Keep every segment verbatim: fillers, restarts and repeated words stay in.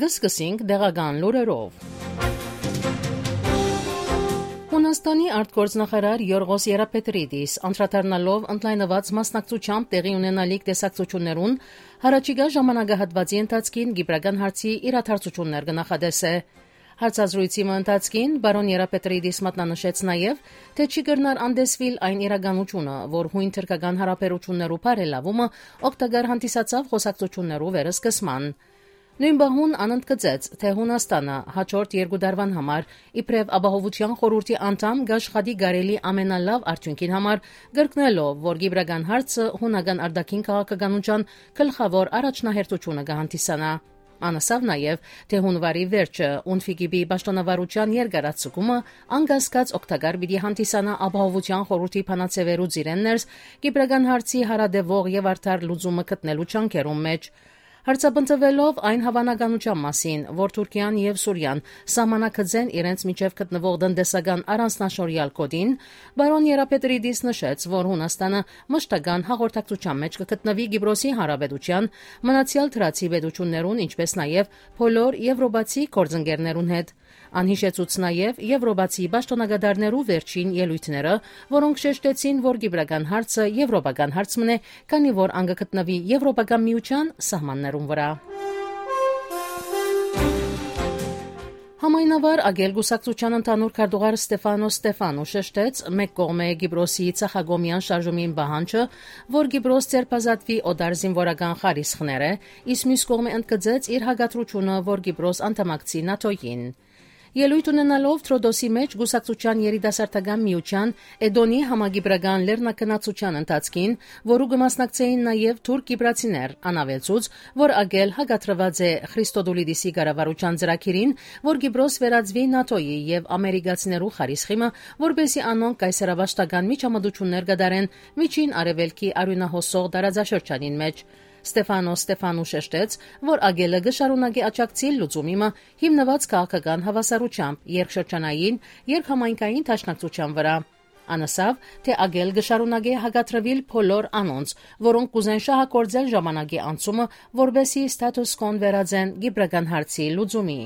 Սկսենք դեղական լուրերով։ Հունաստանի արտգործնախարար Յորղոս Երապետրիդիս անդրադառնալով ընդլայնուած մասնակցությամբ տեղի ունենալիք տեսակցութիւններուն, յառաջիկայ ժամանակահատուածի ընթացքին կիպրական հարցի իրադարձութիւններ կը նախատեսէ։ Հարցազրոյցի մը ընթացքին պարոն Երապետրիդիս մատնանշեց նաեւ, թէ չի կրնար անտեսուիլ այն իրականութիւնը, որ յոյն թրքական յարաբերութիւններու բարելաւումը օգտակար հանդիսացաւ խօսակցութիւններու վերսկսման։ Նոյն պահուն ան ընդգծեց, թէ Յունաստանը յաջորդ երկու տարուան համար իբրեւ Ապահովութեան խորհուրդի անդամ կ'աշխատի կարելի ամենալաւ արդիւնքին համար, կրկնելով, որ կիպրական հարցը յունական արտաքին քաղաքականութեան գլխաւոր առաջնահերթութիւնը կը հանդիսանայ։ Ան ըսաւ նաեւ, թէ յունուարի վերջը ունֆի կիպի պաշտոնավարութեան երկարաձգումը անկասկած օգտակար պիտի հանդիսանայ Ապահովութեան խորհուրդի բանաձեւերու ծիրէն ներս կիպրական հարցի յարատեւող եւ արդար լուծումը գտնելու ջանքերուն մէջ։ Հարցապնդուելով այն հաւանականութեան մասին, որ Թուրքիան եւ Սուրիան սահմանագծեն իրենց միջեւ գտնուող տնտեսական առանձնաշորեալ գօտին, պարոն Երապետրիդիս նշեց, որ Յունաստանը մշտական հաղորդակցութեան մէջ կը գտնուի Կիպրոսի Հանրապետութեան, մնացեալ թրացի պետութիւններուն, ինչպէս նաեւ բոլոր եվրոպացի գործընկերներուն հետ։ Ան յիշեցուց նաեւ եվրոպացի պաշտօնակատարներու վերջին ելոյթները, որոնք շեշտեցին, որ կիպրական հարցը եվրոպական հարց մըն է, քանի որ ան կը գտնուի Եվրոպական Միութեան սահմաններուն վրայ։ Համայնավար Ագել կուսակցութեան ընդհանուր քարտուղար Ստեֆանոս Ստեֆանու շեշտեց, մէկ կողմէ Կիպրոսի ցախակողմեան շարժումին պահանջը, որ Կիպրոս ձերբազատուի օտար զինուորական խարիսխները, իսկ միւս կողմէ ընդգծեց իր հակադրութիւնը, որ Կիպրոս անդամակցի նատոյին։ Ելոյթ ունենալով Թրոդոսի մէջ կուսակցութեան երիտասարդական միութեան Էդոնի համակիպրական լեռնագնացութեան ընթացքին, որու կը մասնակցէին նաեւ թուրք կիպրացիներ, ան աւելցուց, որ Ագել հակադրուած է Խրիստոդուլիդիսի կառավարութեան ծրագիրին, որ Կիպրոս վերածուի նատոյի եւ ամերիկացիներու խարիսխի մը, որպէսզի անոնք կայսերապաշտական միջամտութիւններ կատարեն Միջին Արեւելքի արիւնահոսող տարածաշրջանին մէջ։ Ստեֆանոս Ստեֆանու շեշտեց, որ Ագելը կը շարունակի աջակցիլ լուծումի մը հիմնուած քաղաքական հաւասարութեամբ, երկշրջանային, երկհամայնքային դաշնակցութեան վրայ։ Ան ըսաւ, թէ Ագել կը շարունակէ հակադրուիլ բոլոր անոնց, որոնք կ'ուզեն շահագործել ժամանակի անցումը, որպէսզի status quo-ն վերածեն կիպրական հարցի լուծումի։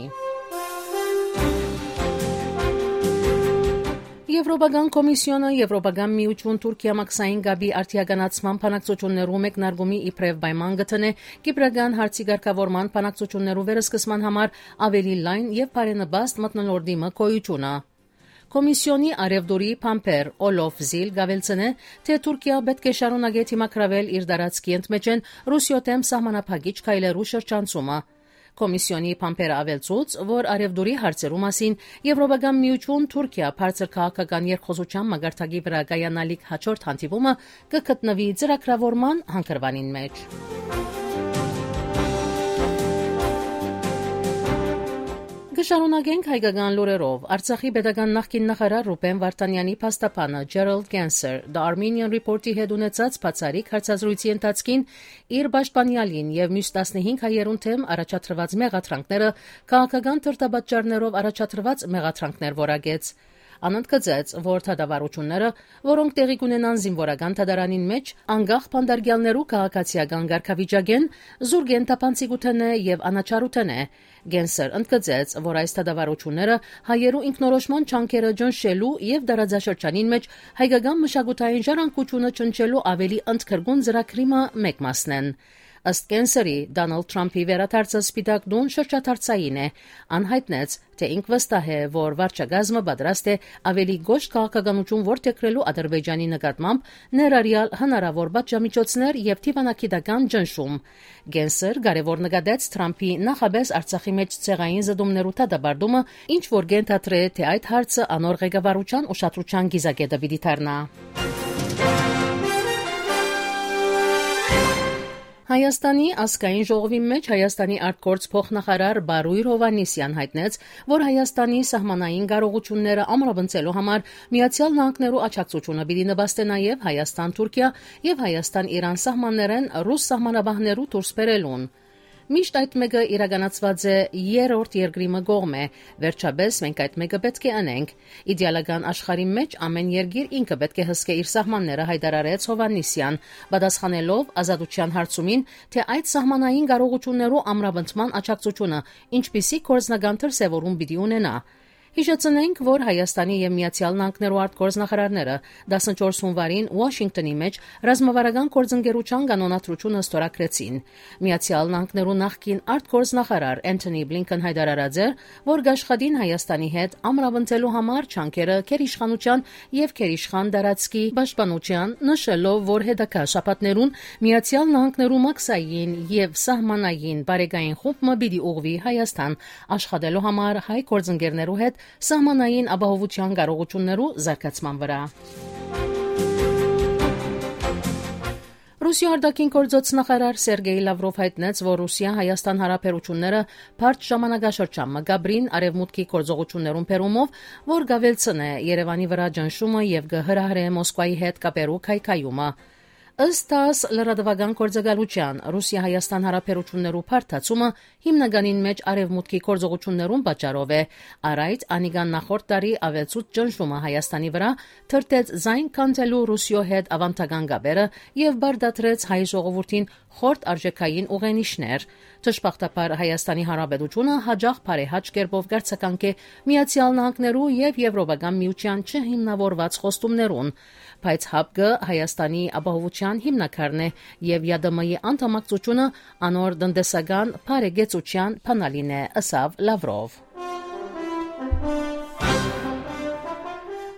Եվրոպական Կոմիսիոնը Եվրոպական Միութիւն Թուրքիա մաքսային կապի արդիականացման բանակցութիւններու մեկնարկումի իբրեւ պայման կը դնէ կիպրական հարցի կարգաւորման բանակցութիւններու վերսկսման համար աւելի լայն եւ բարենպաստ մթնոլորտի մը գոյութիւնը։ Կոմիսիոնի առեւտուրի բանբեր Օլոֆ Զիլ կ'աւելցնէ, թէ Թուրքիա պէտք է շարունակէ դիմագրաւել իր տարածքի ընդմէջէն Ռուսիոյ դէմ սահմանափակիչ քայլերու շրջանցումը։ Կոմիսիոնի բանբերը աւելցուց, որ առեւտուրի հարցերու մասին Եվրոպական Միութիւն Թուրքիա բարձր քաղաքական երկխօսութեան մակարդակի վրայ կայանալիք յաջորդ հանդիպումը կը գտնուի ծրագրաւորման հանգրուանին մէջ։ Կը շարունակենք հայկական լուրերով։ Արցախի պետական նախկին նախարար Ռուբեն Վարդանեանի փաստաբանը Ջերալդ Կենսեր The Armenian Report-ի հետ ունեցած բացառիկ հարցազրույցի ընթացքին իր պաշտպանեալին եւ միւս տասնհինգ հայերուն դէմ առաջադրուած մեղադրանքները քաղաքական դրդապատճառներով առաջադրուած մեղադրանքներ որակեց։ Ան ընդգծեց, որ դատավարութիւնները, որոնք տեղի կունենան զինուորական դատարանին մէջ, անկախ բանտարկեալներու քաղաքացիական կարգավիճակէն, զուրկ են թափանցիկութենէ եւ անաչառութենէ։ Կենսեր ընդգծեց, որ այս դատավարութիւնները հայերու ինքնորոշման ջանքերը ճնշելու եւ տարածաշրջանին մէջ հայկական մշակութային ժառանգութիւնը ճնշելու աւելի ընդգրկուն ծրագրի մը մէկ մասն են։ Ըստ Կենսերի, Դոնալդ Թրամփի վերադարձը Սպիտակ տուն շրջադարձային է։ Ան յայտնեց, թէ ինք վստահ է, որ վարչակազմը պատրաստ է աւելի կոշտ քաղաքականութիւն որդեգրելու Ադրբեջանի նկատմամբ, ներառեալ հնարաւոր պատժամիջոցներ եւ դիվանագիտական ճնշում։ Կենսեր կարեւոր նկատեց Թրամփի նախապէս Արցախի մէջ ցեղային զտումներու դատապարտումը, ինչ որ կ'ենթադրէ, թէ այդ հարցը անոր ղեկավարութեան ուշադրութեան կիզակետը պիտի դառնայ։ Հայաստանի ազգային ժողովի մէջ Հայաստանի արտգործ փոխնախարար Բարոյր Հովհաննիսեան յայտնեց, որ Հայաստանի սահմանային կարողութիւնները ամրապնդելու համար Միացեալ Նահանգներու աջակցութիւնը պիտի նպաստէ նաեւ Հայաստան-Թուրքիա եւ Հայաստան-Իրան սահմաններէն ռուս սահմանապահներու դուրս բերելուն։ Միշտ այդ մէկը իրականացուած է երրորդ երկրի մը կողմէ։ Վերջապէս մենք այդ մէկը պէտք է ընենք։ Իդեալական աշխարհի մէջ ամէն երկիր ինքը պէտք է հսկէ իր սահմանները, հայտարարեց Հովհաննիսեան, պատասխանելով Ազատութեան հարցումին, թէ այդ սահմանային կարողութիւններու ամրապնդման աջակցութիւնը ինչպիսի գործնական դրսեւորում պիտի ունենայ։ Յիշեցնենք, որ Հայաստանի եւ Միացեալ Նահանգներու արտգործնախարարները տասնչորս հունուարին Ուաշինկտոնի մէջ ռազմավարական գործընկերութեան կանոնադրութիւնը ստորագրեցին։ Միացեալ Նահանգներու նախկին արտգործնախարար Էնթոնի Բլինքեն հայտարարած էր, որ կաշխատին Հայաստանի հետ ամրապնդելու համար ջանքերը գերիշխանութեան եւ գերիշխան տարածքի պաշտպանութեան, նշելով, որ հետագայ շաբաթներուն Միացեալ Նահանգներու մաքսային եւ սահմանային բարեկային խումբ մը պիտի ուղղուի Հայաստան, աշխատելու համար հայ գործընկերներու հետ սահմանային ապահովութեան կարողութիւններու զարգացման վրայ։ Ռուսիոյ արտաքին գործոց նախարար Սերգեյ Լավրով հայտնեց, որ Ռուսիա-Հայաստան հարաբերութիւնները բարդ ժամանակաշրջան մը կապրին արեւմուտքի գործողութիւններուն բերումով, որ կավելցնէ Երեւանի վրայ ճնշումը եւ կը հրահրէ Մոսկվայի հետ կապերու քայքայումը։ Ըստ տաս լրատուական գործակալութեան, Ռուսիա-Հայաստան հարաբերութիւններու բարդացումը հիմնականին մէջ արեւմուտքի գործողութիւններուն պատճառով է։ Առ այդ, անիկա նախորդ տարի աւելցուց ճնշումը Հայաստանի վրայ, թրթեց զայն քանդելու Ռուսիոյ հետ աւանդական կապերը եւ պարտադրեց հայ ժողովուրդին խորտ արժեքային ուղենիշներ։ Դժբախտաբար, Հայաստանի Հանրապետութիւնը յաճախ բարեհաճ կերպով կարձագանք է Միացեալ Նահանգներու եւ Եւրոպական Միութեան չհիմնաւորուած խոստումներուն, բայց յապկը Հայաստանի ապահովութեան հիմնաքարն է եւ Յ Դ Մ-ի անդամակցութիւնը անոր տնտեսական բարեկեցութեան բանալին է, ըսաւ Լավրով։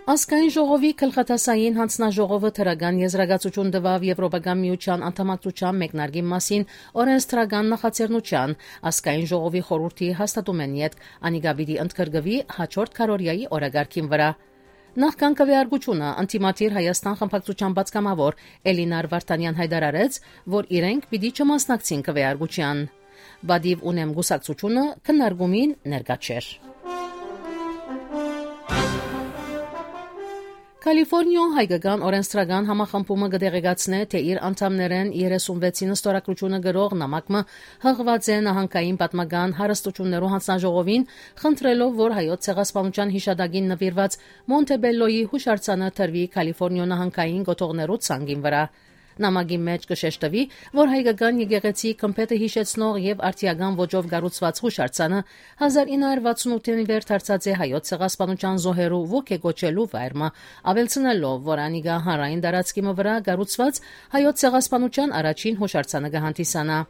Ազգային ժողովի գլխատասային յանձնաժողովը դրական եզրակացութիւն տուաւ Եվրոպական միութեան անդամակցութեան մեկնարկին մասին օրենսդրական նախաձեռնութեան։ Ազգային ժողովի խորհուրդի հաստատումէն ետք անիկա պիտի ընդգրկուի յաջորդ քարորիայի օրակարգին վրայ։ Նախքան քվեարկութիւնը, ընդդիմադիր Հայաստան խմբակցութեան պատգամաւոր Էլինար Վարդանեան հայտարարեց, որ իրենք պիտի չմասնակցին քվեարկութեան։ Պատիւ ունեմ կուսակցութիւնը քննարկումին ներկայ չէր։ Կալիֆորնիոյ հայկական օրենսդրական համախմբումը կը տեղեկացնէ, թէ իր անդամներէն երեսունվեցին ստորագրութիւնը կրող նամակ մը յղուած է նահանգային պատմական հարստութիւններու յանձնաժողովին, խնդրելով, որ հայոց ցեղասպանութեան յիշատակին նուիրուած Մոնտեբելլոյի յուշարձանը տրուի Կալիֆորնիոյ նահանգային կոթողներու ցանկին վրայ։ Նամակի մէջ կը շեշտուի, որ հայկական եկեղեցի գմբէթը յիշեցնող եւ արդիական ոճով կառուցուած յուշարձանը հազար ինը հարյուր վաթսուն ութ թ. Դարած է հայոց ցեղասպանութեան զոհերու ոգեկոչելու վայր մը, աւելցնելով, որ անիկա հանրային տարածքի մը վրայ կառուցուած հայոց ցեղասպանութեան առաջին յուշարձանը կը հանդիսանայ։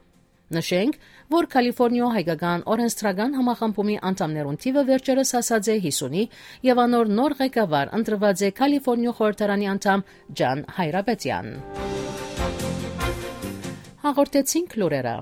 Նշենք, որ Կալիֆորնիոյ հայկական օրենսդրական համախմբումի անդամներուն թիւը վերջերս հասած է յիսունի եւ անոր նոր ղեկավար ընտրուած է Կալիֆորնիոյ խորհրդարանի անդամ Ջան Հայրապետեան։ Հաղորդեցինք լուրերը։